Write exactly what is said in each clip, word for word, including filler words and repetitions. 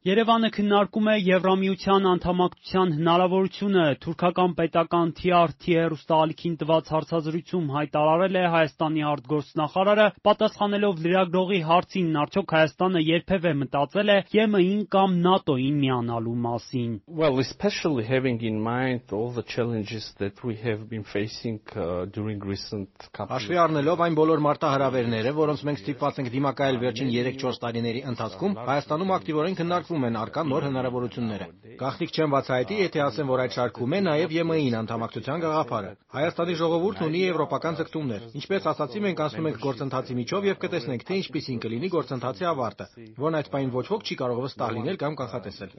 Երևանը քննարկում է Եվրամիության անդամակցության հնարավորությունը։ Թուրքական պետական T R T հեռուստաալիքին տված հարցազրույցում հայտարարել է Հայաստանի արտգործնախարարը, պատասխանելով լրագրողի հարցին, արդյոք Հայաստանը երբևէ մտածել է Ե M I-ին կամ ՆԱՏՕ-ին միանալու մասին։ Well, especially having in mind all the challenges that we have been facing uh, during recent couple. Հաշվի առնելով այն բոլոր մարտահրավերները, որոնց մենք ստիպված ենք դիմակայել վերջին երեք-չորս տարիների ընթացքում, Հայաստանում ակտիվորեն քննարկվում են առկա նոր հնարավորությունները։ Գաղտնիք չեմ բացահայտի, եթե ասեմ, որ այդ շարքում է նաև Ե M I-ին անդամակցության գաղափարը։ Հայաստանի ժողովուրդն ունի եվրոպական ձգտումներ։ Ինչպես ասացի, մենք անցնում ենք գործընթացի միջով եւ կտեսնենք, թե ինչպիսին կլինի գործընթացի ավարտը, որն այդ պահին ոչ ոք չի կարող վստահ լինել կամ կանխատեսել։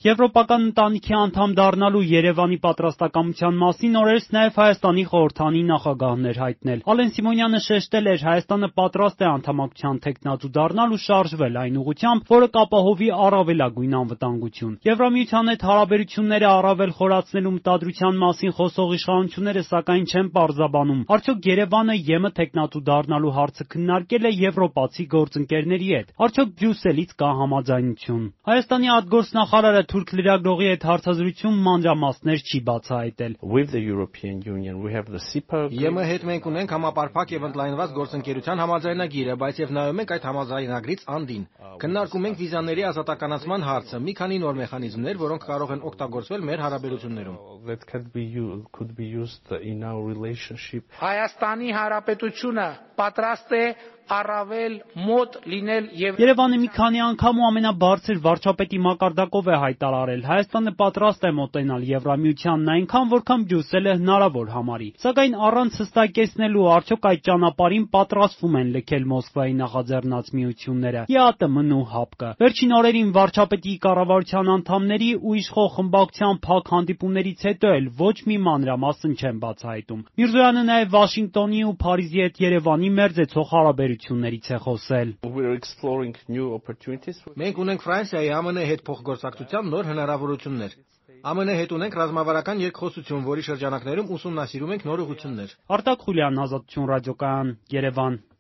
Եվրոպական ընտանիքի անդամ դառնալու Երևանի պատրաստակամության մասին օրերս նաև Հայաստանի խորհրդանի նախագահն էր հայտնել։ Ալեն Սիմոնյանը շեշտել էր, Հայաստանը պատրաստ է անդամակցության թեկնածու դառնալ ու շարժվել այն ուղղությամբ, որը կապահովի առավելագույն անվտանգություն։ Եվրամիության հետ հարաբերությունները առավել խորացնելու մտադրության մասին խոսող իշխանությունները սակայն չեն պարզաբանում, արդյոք Երևանը Ե M թեկնածու դառնալու հարցը քննարկել է եվրոպացի գործընկերների հետ, արդյոք Բրյուսելից կա համաձայնություն։ Հայաստանի արտգործնախարարը թուրք լրագրողի հետ հարցազրույցում մանրամասներ չի բացահայտել։ Ե M հետ մենք ունենք համապարփակ եւ ընդլայնված գործընկերության համաձայնագիրը, բայց եւ նայում ենք այդ համաձայնագրից անդին։ Քննարկում ենք վիզաների ազատականացման հարցը, մի քանի նոր մեխանիզմներ, որոնք կարող են օգտագործվել մեր հարաբերություններում։ Հայաստանի Հանրապետությունը պատրաստ է առավել մոտ լինել եւ Երևանը մի քանի անգամ ու ամենաբարձր վարչապետի մակարդակով է հայտարարել, Հայաստանը պատրաստ է մոտենալ Եվրամիությանն այնքան, որքան Բրյուսելը հնարավոր համարի։ Սակայն առանց հստակեցնելու, արդյոք այդ ճանապարհին պատրաստվում են լքել Մոսկվայի նախաձեռնած միությունները Ե A T M-ն ու ՀԱՊԿ-ը։ Վերջին օրերին վարչապետի կառավարության անդամների ու իշխող խմբակցության փակ հանդիպումներից հետո էլ ոչ մի մանրամասն չեն բացահայտում։ Միրզոյանը նաև Վաշինգտոնի ու Փարիզի հետ Երևանի մերձեցող հարաբերություններից է խոսել։ Մենք ունենք Ֆրանսիայի Ամն հետ փոխգործակցության նոր հնարավորություններ։ Ամն հետ ունենք ռազմավարական երկխոսություն, որի շրջանակներում ուսումնասիրում ենք նոր ուղղություններ։ Արտակ Խուլյան, Ազատություն ռադիոկայան, Երևան։